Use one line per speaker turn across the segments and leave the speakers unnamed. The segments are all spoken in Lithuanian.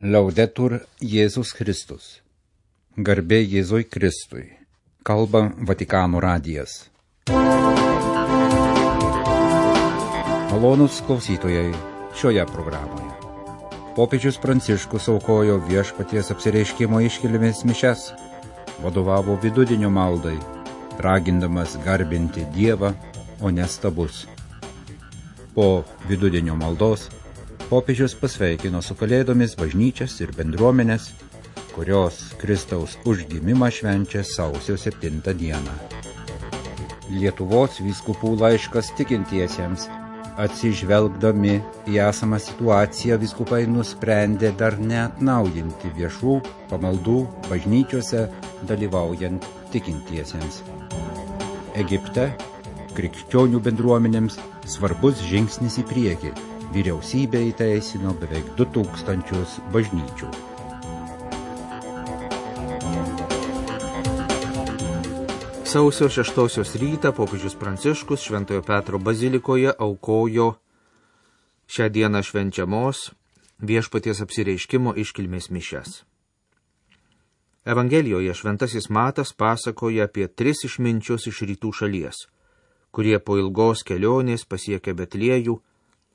Laudetur Jėzus Kristus. Garbė Jėzui Kristui. Kalba Vatikano radijas. Malonūs klausytojai šioje programoje. Popiežius Pranciškus aukojo Viešpaties apsireiškimo iškilmės mišias, vadovavo vidudienio maldai, ragindamas garbinti Dievą, o ne stabus. Po vidudienio maldos popiežius pasveikino su Kalėdomis bažnyčias ir bendruomenės, kurios Kristaus užgimimą švenčia sausio 7 dieną. Lietuvos vyskupų laiškas tikintiesiems. Atsižvelgdami į esamą situaciją, vyskupai nusprendė dar neatnaujinti viešų pamaldų bažnyčiose dalyvaujant tikintiesiems. Egipte krikščionių bendruomenėms svarbus žingsnis į priekį. Vyriausybė įteisino beveik 2000 bažnyčių.
Sausio 6 rytą popiežius Pranciškus Šventojo Petro bazilikoje aukojo šią dieną švenčiamos Viešpaties apsireiškimo iškilmės mišias. Evangelijoje šventasis Matas pasakoja apie 3 išminčius iš rytų šalies, kurie po ilgos kelionės pasiekė Betliejų,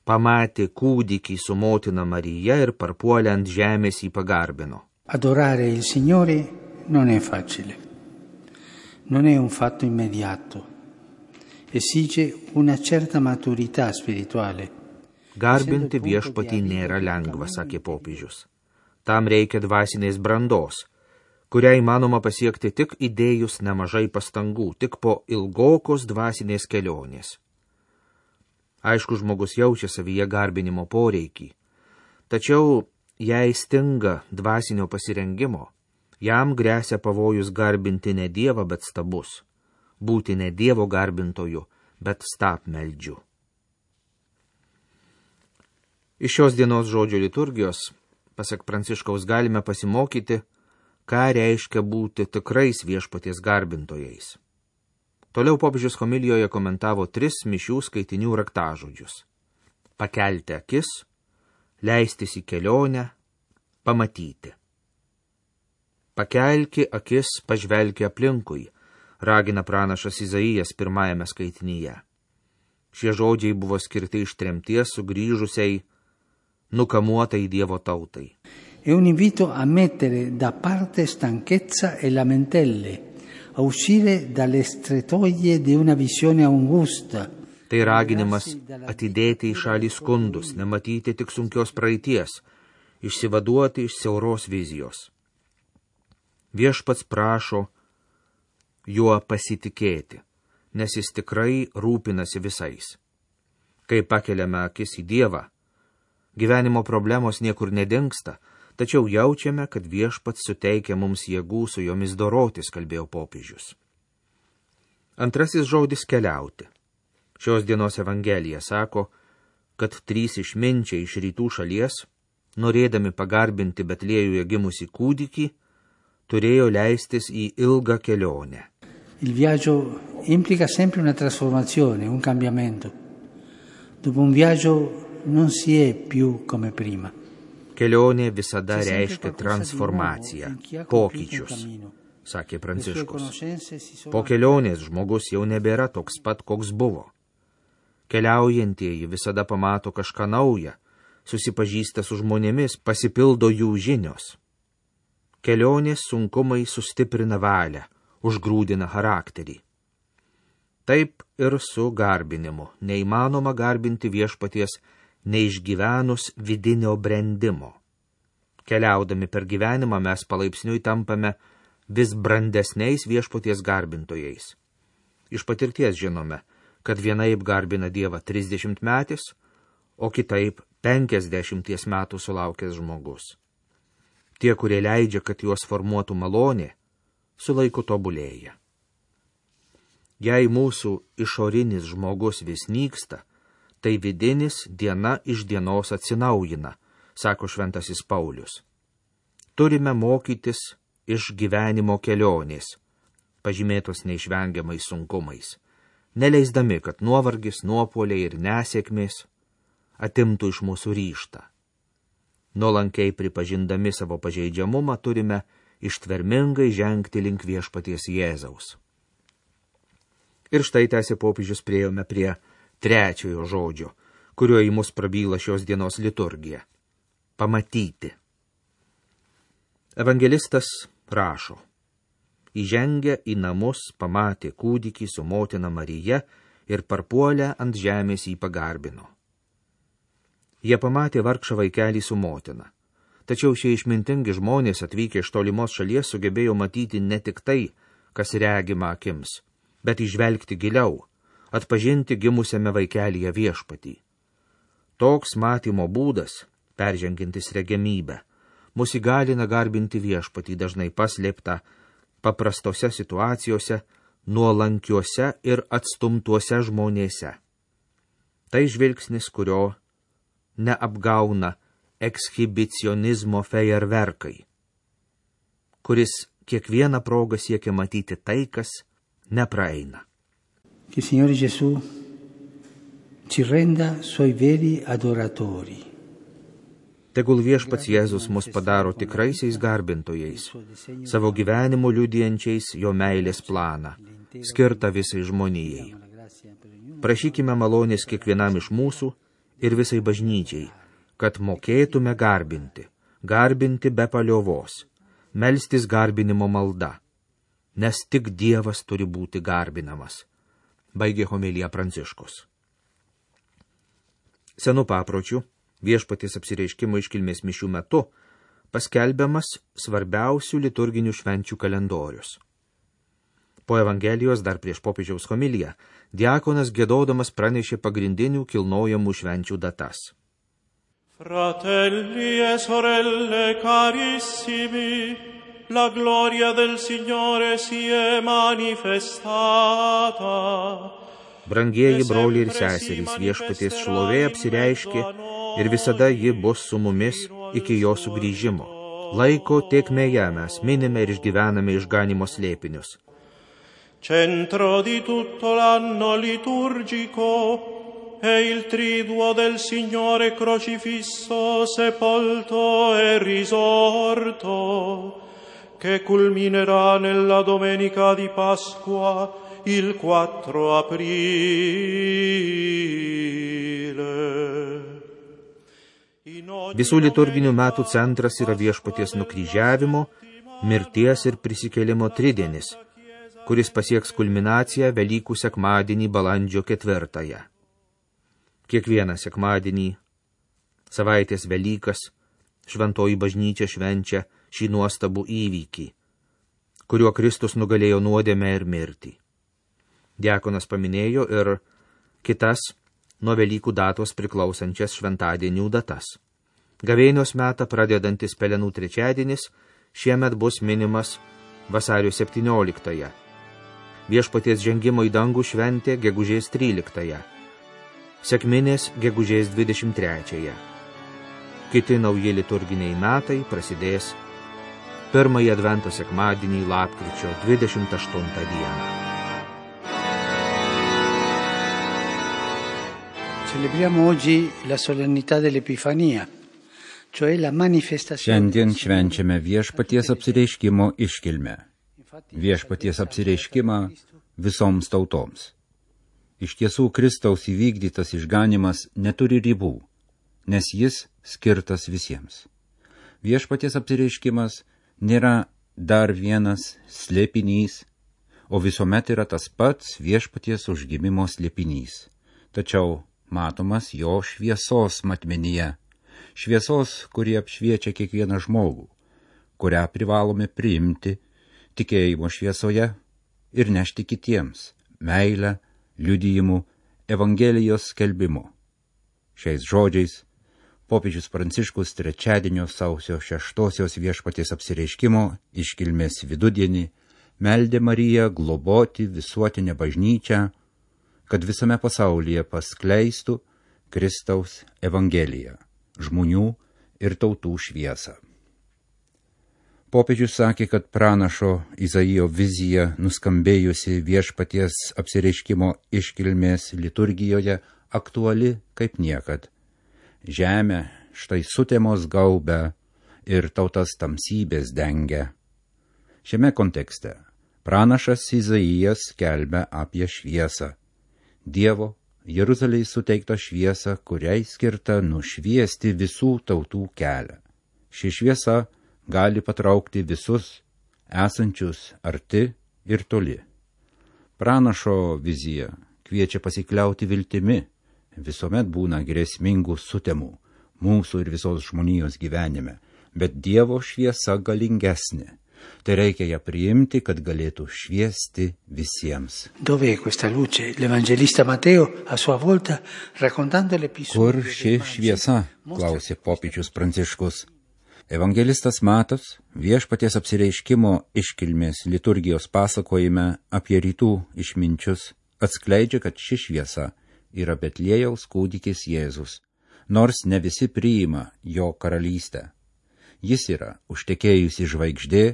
pamatė kūdikį su motina Marija ir parpuolę ant žemės jį pagarbino.
Adorare il Signore non è facile. Non è un fatto immediato. Esige una certa maturità spirituale.
Garbinti viešpatį nėra lengva, sakė popiežius. Tam reikia dvasinės brandos, kurią įmanoma pasiekti tik įdėjus nemažai pastangų, tik po ilgokos dvasinės kelionės. Aišku, žmogus jaučia savyje garbinimo poreikį, tačiau jei stinga dvasinio pasirengimo, jam gresia pavojus garbinti ne Dievą, bet stabus, būti ne Dievo garbintoju, bet stabmeldžiu. Iš šios dienos žodžio liturgijos, pasak Pranciškaus, galime pasimokyti, ką reiškia būti tikrais viešpaties garbintojais. Toliau popiežius homilijoje komentavo 3 mišių skaitinių raktažodžius: pakelti akis, leistis į kelionę, pamatyti. Pakelki akis, pažvelki aplinkui, ragina pranašas Izaijas 1 skaitinyje. Šie žodžiai buvo skirti iš tremties sugrįžusiai, nukamuotai Dievo tautai.
È un invito a mettere da parte stanchezza e lamentele, a uscire dalle strettoie di una visione angusta.
Tai raginimas atidėti į šalį skundus, nematyti tik sunkios praeities, išsivaduoti iš siauros vizijos. Viešpats prašo juo pasitikėti, nes jis tikrai rūpinasi visais. Kai pakeliame akis į Dievą, gyvenimo problemos niekur nedingsta, tačiau jaučiame, kad viešpats suteikia mums jėgų su jomis dorotis, kalbėjo popiežius. Antrasis žodis keliauti. Šios dienos Evangelija sako, kad 3 išminčiai iš rytų šalies, norėdami pagarbinti Betliejuje gimusį kūdikį, turėjo leistis į ilgą kelionę.
Il viaggio implica sempre una trasformazione, un cambiamento. Dopo un viaggio non si è più come prima.
Kelionė visada reiškia transformaciją, pokyčius, sakė Pranciškus. Po kelionės žmogus jau nebėra toks pat, koks buvo. Keliaujantieji visada pamato kažką naują, susipažįsta su žmonėmis, pasipildo jų žinios. Kelionės sunkumai sustiprina valią, užgrūdina charakterį. Taip ir su garbinimu. Neįmanoma garbinti viešpaties neišgyvenus vidinio brendimo. Keliaudami per gyvenimą mes palaipsniui tampame vis brandesniais viešpaties garbintojais. Iš patirties žinome, kad vienaip garbina Dievą 30 metais, o kitaip 50 metų sulaukęs žmogus. Tie, kurie leidžia, kad juos formuotų malonė, su laiku tobulėja. Jei mūsų išorinis žmogus vis nyksta, tai vidinis diena iš dienos atsinaujina, sako šventasis Paulius. Turime mokytis iš gyvenimo kelionės, pažymėtos neišvengiamais sunkumais, neleisdami, kad nuovargis, nuopuoliai ir nesėkmės atimtų iš mūsų ryžtą. nuolankiai pripažindami savo pažeidžiamumą, turime ištvermingai žengti link viešpaties Jėzaus. Ir štai tęsė popiežius, priėjome prie trečiojo žodžio, kuriuo į mus prabyla šios dienos liturgija. Pamatyti. Evangelistas rašo: įžengę į namus, pamatė kūdikį su motina Marija ir parpuolę ant žemės jį pagarbino. Jie pamatė vargšą vaikelį su motina. Tačiau šie išmintingi žmonės atvykę iš tolimos šalies sugebėjo matyti ne tik tai, kas regima akims, bet įžvelgti giliau, atpažinti gimusiame vaikelyje viešpatį. Toks matymo būdas, peržengintis regimybę, mus įgalina garbinti viešpatį, dažnai paslėptą paprastose situacijose, nuolankiuose ir atstumtuose žmonėse. Tai žvilgsnis, kurio neapgauna ekshibicionizmo fejerverkai, kuris kiekvieną progą siekia matyti tai, kas nepraeina.
Che Signore Gesù ci renda suoi veri adoratori.
Tegul viešpats Jėzus mus padaro tikraisiais garbintojais, savo gyvenimu liudijančiais jo meilės planą, skirtą visai žmonijai. Prašykime malonės kiekvienam iš mūsų ir visai bažnyčiai, kad mokėtume garbinti be paliovos, melstis garbinimo malda, nes tik Dievas turi būti garbinamas, baigė homilija Pranciškus. Senu papročiu, viešpaties apsireiškimo iškilmės mišių metu paskelbiamas svarbiausių liturginių švenčių kalendorius. Po Evangelijos dar prieš popiežiaus homiliją diakonas giedodamas pranešė pagrindinių kilnojamų švenčių datas.
Fratelli e sorelle carissimi, la gloria del Signore si è manifestata.
Brangieji broliai ir seserys, viešpaties šlovė apsireiškė ir visada ji bus su mumis iki jo sugrįžimo. Laiko tėkmėje mes minime ir išgyvename išganimo slėpinius.
Centro di tutto l'anno liturgico è il triduo del Signore crocifisso, sepolto e risorto, che culminerà nella domenica di Pasqua, il 4 aprile.
Visų liturginių metų centras yra viešpaties nukryžiavimo, mirties ir prisikėlimo tridienis, kuris pasieks kulminaciją Velykų sekmadienį balandžio 4. Kiekvieną sekmadienį, savaitės Velykas, šventoji bažnyčia švenčia šį nuostabų įvykį, kuriuo Kristus nugalėjo nuodėmę ir mirtį. Diakonas paminėjo ir kitas nuo Velykų datos priklausančias šventadienių datas. Gavėnios metą pradedantis Pelenų trečiadienis šiemet bus minimas vasario 17. Viešpaties žengimo į dangų šventė gegužės 13. Sekminės gegužės 23. Kiti nauji liturginiai metai prasidės pirmąjį advento sekmadienį lapkričio 28 dieną.
Celebriamo oggi la solennità dell'Epifania, cioè la manifestazione.
Šiandien švenčiame viešpaties apsireiškimo iškilmę. Viešpaties apsireiškimą visoms tautoms. Iš tiesų, Kristaus įvykdytas išganimas neturi ribų, nes jis skirtas visiems. Viešpaties apsireiškimas nėra dar vienas slėpinys, o visuomet yra tas pats viešpaties užgimimo slėpinys. Tačiau matomas jo šviesos matmenyje, šviesos, kuri apšviečia kiekvieną žmogų, kurią privalome priimti tikėjimo šviesoje ir nešti kitiems meilę, liudijimų, Evangelijos skelbimu. Šiais žodžiais popiežius Pranciškus trečiadienio sausio 6 viešpaties apsireiškimo iškilmės vidudienį meldė Mariją globoti visuotinę bažnyčią, kad visame pasaulyje paskleistų Kristaus Evangeliją, žmonių ir tautų šviesą. Popiežius sakė, kad pranašo Izaijo vizija nuskambėjusi viešpaties apsireiškimo iškilmės liturgijoje aktuali kaip niekad. Žemę štai sutemos gaubia ir tautas tamsybės dengia. Šiame kontekste pranašas Izaijas skelbia apie šviesą. Dievo Jeruzalei suteikta šviesa, kuriai skirta nušviesti visų tautų kelią. Ši šviesa gali patraukti visus, esančius arti ir toli. Pranašo vizija kviečia pasikliauti viltimi. Visuomet būna grėsmingų sutemų mūsų ir visos žmonijos gyvenime, bet Dievo šviesa galingesnė. Tai reikia ją priimti, kad galėtų šviesti visiems.
Dove è questa luce? L'evangelista Matteo a sua volta raccontando l'episodio.
Kur ši šviesa? Klausė popiežius Pranciškus. Evangelistas Matas Viešpaties apsireiškimo iškilmės liturgijos pasakojime apie rytų išminčius atskleidžia, kad ši šviesa yra Betliejaus kūdikis Jėzus, nors ne visi priima jo karalystę. Jis yra užtekėjusi žvaigždė,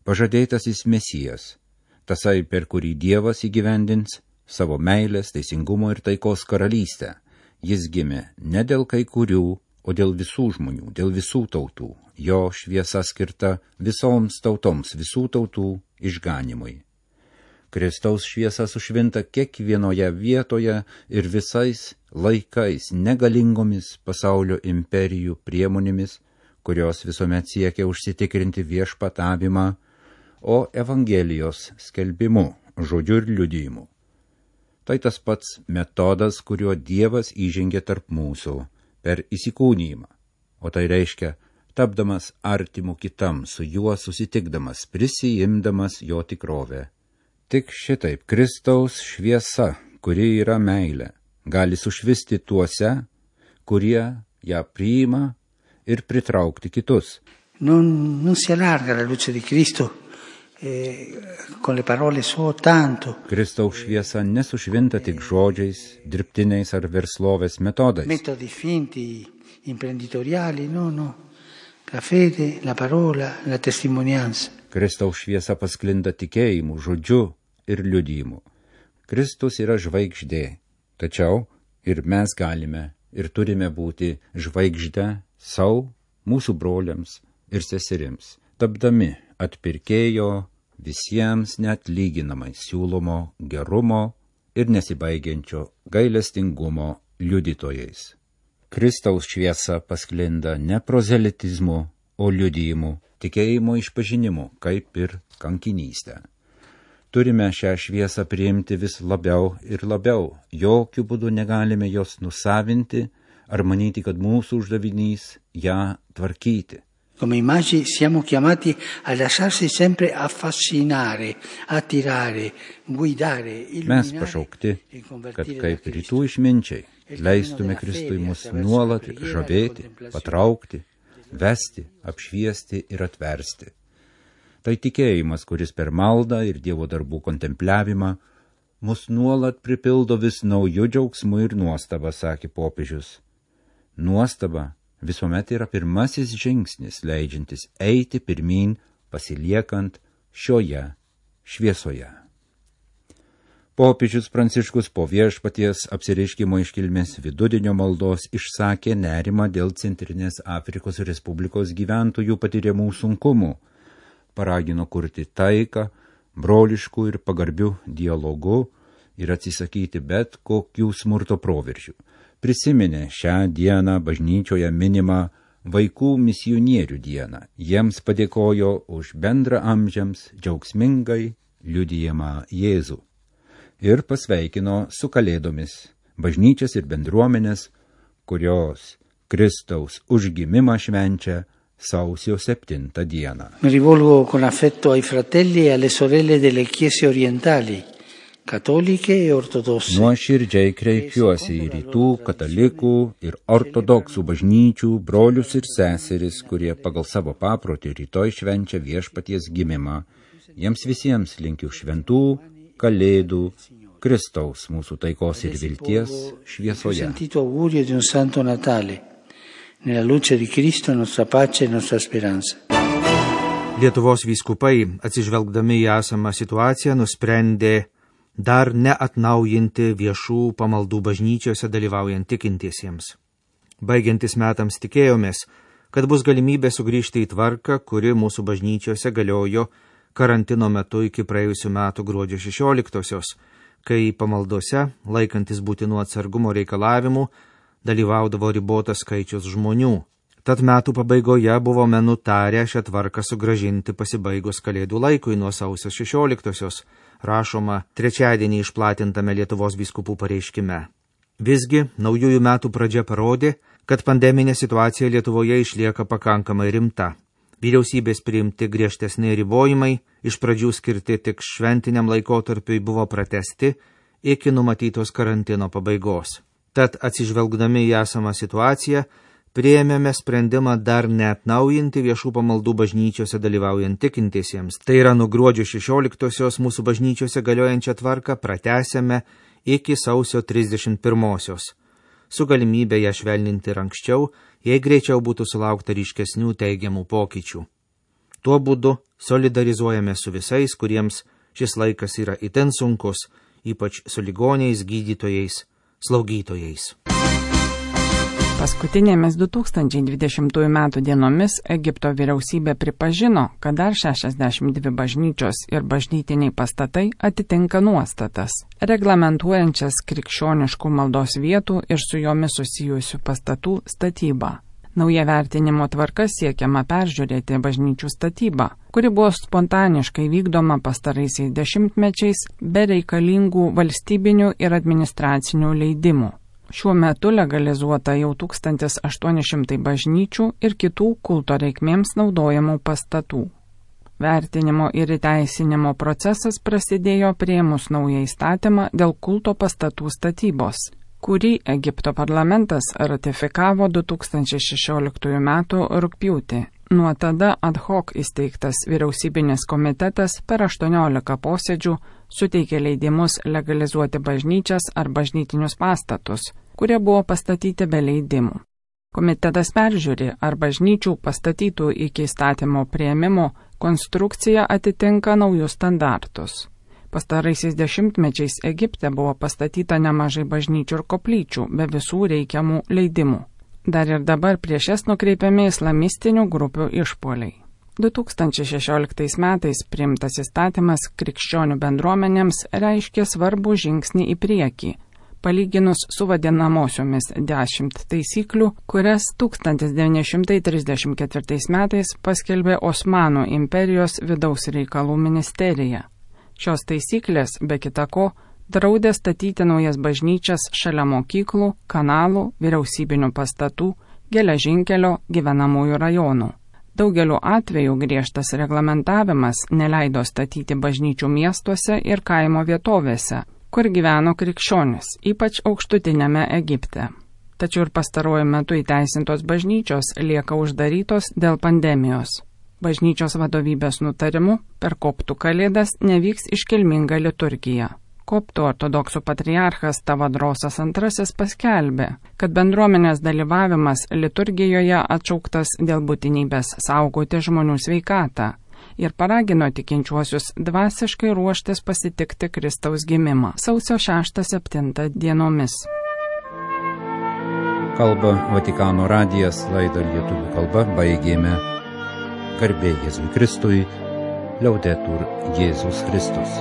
pažadėtasis Mesijas, tasai, per kurį Dievas įgyvendins savo meilės, teisingumo ir taikos karalystę. Jis gimė ne dėl kai kurių, o dėl visų žmonių, dėl visų tautų. Jo šviesa skirta visoms tautoms, visų tautų išganimui. Kristaus šviesa sušvinta kiekvienoje vietoje ir visais laikais negalingomis pasaulio imperijų priemonėmis, kurios visuomet siekia užsitikrinti viešpatavimą, o Evangelijos skelbimu, žodžiu ir liudijimu. Tai tas pats metodas, kuriuo Dievas įžengė tarp mūsų per įsikūnijimą, o tai reiškia, tapdamas artimu kitam, su juo susitikdamas, prisijimdamas jo tikrovę. Tik šitaip Kristaus šviesa, kuri yra meilė, gali sušvisti tuose, kurie ją priima ir pritraukti kitus.
Non si allarga la luce di Cristo con le parole soltanto.
Kristaus šviesa nesušvinta tik žodžiais, dirbtiniais ar verslovės metodais.
Metodi finti, imprenditoriali, no. La fede, la parola, la testimonianza.
Kristaus šviesa pasklinda tikėjimu, žodžiu ir liudijimu. Kristus yra žvaigždė, tačiau ir mes galime ir turime būti žvaigždę savo, mūsų broliams ir seserims, tapdami atpirkėjo visiems neatlyginamai siūlomo gerumo ir nesibaigiančio gailestingumo liudytojais. Kristaus šviesa pasklinda ne prozelitizmu, o liudijimu, tikėjimo išpažinimu, kaip ir kankinystę. Turime šią šviesą priimti vis labiau ir labiau, jokių būdų negalime jos nusavinti ar manyti, kad mūsų uždavinys ją tvarkyti.
Come immagini siamo chiamati a lasciarsi sempre affascinare, attirare, guidare, illuminare.
Mes pašaukti, kad kaip rytų išminčiai leistume Kristui mus nuolat žavėti, patraukti, vesti, apšviesti ir atversti. Tai tikėjimas, kuris per maldą ir Dievo darbų kontempliavimą mus nuolat pripildo vis naujų džiaugsmų ir nuostabą, sakė popiežius. Nuostaba visuomet yra pirmasis žingsnis, leidžiantis eiti pirmyn, pasiliekant šioje šviesoje. Popiežius Pranciškus po Viešpaties apsireiškimo iškilmės vidudienio maldos išsakė nerimą dėl Centrinės Afrikos Respublikos gyventojų patiriamų sunkumų, paragino kurti taiką, broliškų ir pagarbių dialogų ir atsisakyti bet kokių smurto proveržių. Prisiminė šią dieną bažnyčioje minimą vaikų misionierių dieną. Jiems padėkojo už bendrą amžiams džiaugsmingai liudijamą Jėzų. Ir pasveikino su Kalėdomis bažnyčias ir bendruomenės, kurios Kristaus užgimimą švenčia sausio 7 dieną.
Mi rivolgo con affetto ai fratelli e alle sorelle delle chiese orientali, katoliche e ortodosse.
Nuoširdžiai kreipiuosi į rytų katalikų ir ortodoksų bažnyčių brolius ir seseris, kurie pagal savo paprotį rytoj švenčia Viešpaties gimimą. Jiems visiems linkiu šventų Kalėdų, Kristaus mūsų taikos ir vilties šviesoje.
Sentito augurio di un santo Natale, nella luce di Cristo nostra pace e nostra speranza.
Lietuvos vyskupai, atsižvelgdami į esamą situaciją, nusprendė dar neatnaujinti viešų pamaldų bažnyčiose dalyvaujant tikintiesiems. Baigiantis metams tikėjomės, kad bus galimybė sugrįžti į tvarką, kuri mūsų bažnyčiose galiojo karantino metu iki praėjusių metų gruodžio 16-osios, kai pamaldose, laikantis būtinų atsargumo reikalavimų, dalyvaudavo ribotas skaičius žmonių. Tad metų pabaigoje buvome nutarę šią tvarką sugrąžinti pasibaigus kalėdų laikui nuo sausio 16-osios, rašoma trečiadienį išplatintame Lietuvos vyskupų pareiškime. Visgi, naujųjų metų pradžia parodė, kad pandeminė situacija Lietuvoje išlieka pakankamai rimta. Vyriausybės priimti griežtesni ribojimai, iš pradžių skirti tik šventiniam laikotarpiui, buvo pratęsti iki numatytos karantino pabaigos. Tad atsižvelgdami į esamą situaciją, priėmėme sprendimą dar neatnaujinti viešų pamaldų bažnyčiose dalyvaujant tikintiesiems. Tai yra, nuo gruodžio 16-osios mūsų bažnyčiose galiojančią tvarką pratęsėme iki sausio 31-osios, su galimybė ją švelninti ir anksčiau, jei greičiau būtų sulaukta ryškesnių teigiamų pokyčių. Tuo būdu solidarizuojame su visais, kuriems šis laikas yra itin sunkus, ypač su ligoniais, gydytojais, slaugytojais.
Paskutinėmis 2020 metų dienomis Egipto vyriausybė pripažino, kad dar 62 bažnyčios ir bažnytiniai pastatai atitinka nuostatas, reglamentuojančias krikščioniškų maldos vietų ir su jomis susijusių pastatų statybą. Nauja vertinimo tvarka siekiama peržiūrėti bažnyčių statybą, kuri buvo spontaniškai vykdoma pastaraisiais dešimtmečiais be reikalingų valstybinių ir administracinių leidimų. Šiuo metu legalizuota jau 1800 bažnyčių ir kitų kulto reikmėms naudojamų pastatų. Vertinimo ir įteisinimo procesas prasidėjo priėmus naują įstatymą dėl kulto pastatų statybos, kurį Egipto parlamentas ratifikavo 2016 m. rugpjūtį. Nuo tada ad hoc įsteigtas vyriausybinis komitetas per 18 posėdžių suteikė leidimus legalizuoti bažnyčias ar bažnytinius pastatus, kurie buvo pastatyti be leidimų. Komitetas peržiūri, ar bažnyčių pastatytų iki įstatymo priėmimo konstrukcija atitinka naujus standartus. Pastaraisiais dešimtmečiais Egipte buvo pastatyta nemažai bažnyčių ir koplyčių be visų reikiamų leidimų. Dar ir dabar prieš jas nukreipiami islamistinių grupių išpuoliai. 2016 metais priimtas įstatymas krikščionių bendruomenėms reiškė svarbų žingsnį į priekį, palyginus su vadinamosiomis 10 taisyklių, kurias 1934 metais paskelbė Osmanų imperijos vidaus reikalų ministerija. Šios taisyklės, be kita ko, draudė statyti naujas bažnyčias šalia mokyklų, kanalų, vyriausybinių pastatų, geležinkelio, gyvenamųjų rajonų. Daugeliu atveju griežtas reglamentavimas neleido statyti bažnyčių miestuose ir kaimo vietovėse, kur gyveno krikščionis, ypač aukštutinėme Egipte. Tačiau ir pastaruoju metu įteisintos bažnyčios lieka uždarytos dėl pandemijos. Bažnyčios vadovybės nutarimu per koptų kalėdas nevyks iškilminga liturgija. Koptų ortodoksų patriarchas Tavadrosas II paskelbė, kad bendruomenės dalyvavimas liturgijoje atšauktas dėl būtinybės saugoti žmonių sveikatą ir paragino tikinčiuosius dvasiškai ruoštis pasitikti Kristaus gimimą sausio 6-7 dienomis.
Kalba Vatikano radijas, laidą lietuvių kalba baigėme. Garbė Jėzui Kristui, Liaudetur Jėzus Kristus.